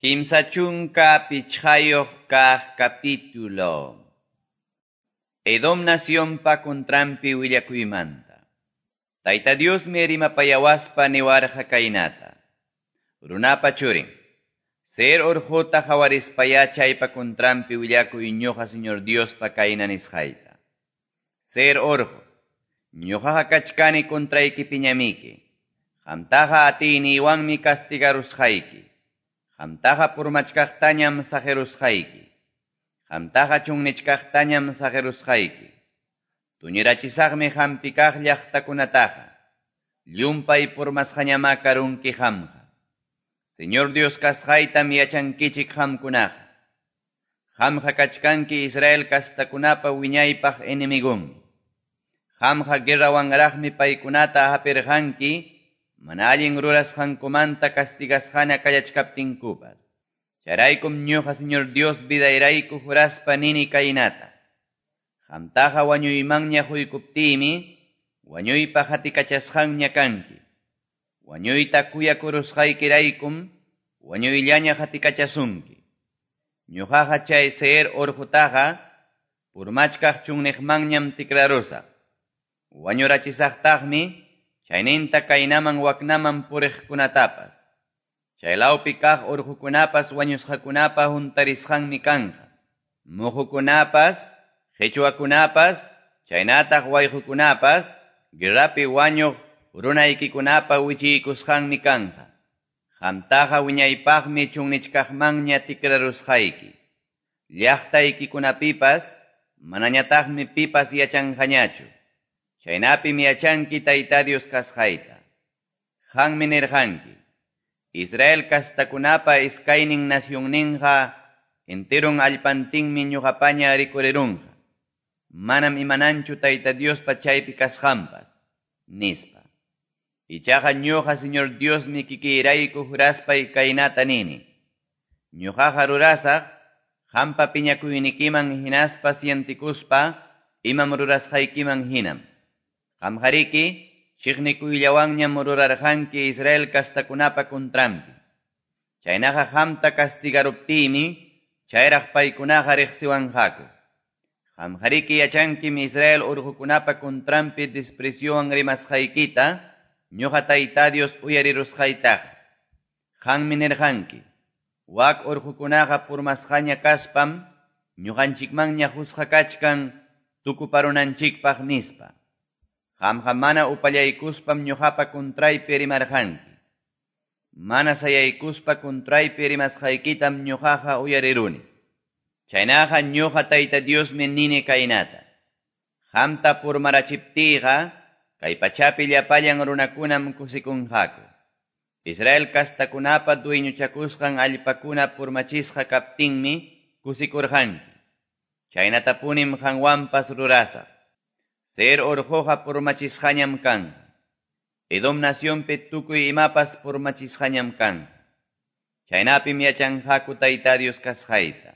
35 kaq capítulo. Edom nacionpa contranpi willakuymanta. Tayta Diosmi rimapayawaspa niwarqa kaynata. Runapa churin. Seir urquta qawarispayá chaypa contranpi willakuy ñuqa Señor Diospa kayna nisqayta. Seir urqu, ñuqaqa kachkani contraykipiñamiki. Qamtaqa atiyniywanmi castigarusqayki. Qamtaqa purmachkaqtañam saqirusqayki. Qamtaqa chunnichkaqtañam saqirusqayki. Tuñirachisaqmi qampi kaq llaqtakunataqa. Llumpay purmasqañamá karunki qamqa. Señor Dios kasqaytam yachankichik qamkunaqa. Qamqa kachkanki Israel kastakunapa wiñaypaq enemigonmi. Qamqa guerrawanraqmi paykunata hapirqanki mana allin rurasqankumanta castigasqana kallachkaptinkupas. Chayraykum ñuqa Señor Dios vidayrayku juraspa nini kaynata. Qamtaqa wañuymanña huykuptiymi, wañuypa hatikachasqanña kanki. Wañuyta kuyakurusqaykiraykum, wañuyllaña hatikachasunki. Ñuqaqa chay Seir urqutaqa, purmachkaq chunniqmanñam tikrarusaq. Wañurachisaqtaqmi, chayninta kaynaman waknaman puriqkunatapas. Chaylawpi kaq urqukunapas wañusqakunapa huntarisqanmi kanqa. Muhukunapas, qichwakunapas, chaynataq wayqukunapas, guerrapi wañuq runaykikunapa wichiykusqanmi kanqa. Qamtaqa wiñaypaqmi chunnichkaqmanña tikrarusqayki. Llaqtaykikunapipas manañataqmi pipas yachanqañachu. Chaynapim yachanki Tayta Dios kasqayta. Qanmi nirqanki. Israel kastakunapa iskaynin nacionninqa enteron allpantinmi ñuqapaña rikurirunqa. Manam imananchu Tayta Diospa chaypi kasqanpas, nispa. Ichaqa ñuqa Señor Diosmi kikiyrayku juraspay kaynata nini. Ñuqaqa rurasaq qampa piñakuynikiman hinaspa sientikuspa imam rurasqaykiman hinam. Qamqariki chiqnikuyllawanñam rurarqanki Israel kastakunapa contranpi. Chaynaqa qamta castigaruptiymi chayraq paykunaqa riqsiwanqaku. Qamqariki yachankim Israel urqukunapa contranpi despreciowan rimasqaykita ñuqa Tayta Dios uyarirusqaytaqa. Qanmi nirqanki, wak urqukunaqa purmasqaña kaspam ñuqanchikmanña qusqa kachkan tukuparunanchikpaq nispa. Qamqa mana upallaykuspam ñuqapa contraypi rimarqanki. Mana sayaykuspa contraypi rimasqaykitam ñuqaqa uyariruni. Chaynaqa ñuqa Tayta Diosmi nini kaynata. Qamta purmarachiptiyqa kay pachapi llapallan runakunam kusikunqaku. Israel kastakunapa dueñochakusqan allpakuna purmachisqa kaptinmi kusikurqanki. Chaynatapunim qanwanpas rurasaq. Seir urquqa purmachisqañam kanqa. Edom nacionpi tukuy imapas purmachisqañam kanqa. Chaynapim yachanqaku Tayta Dios kasqayta.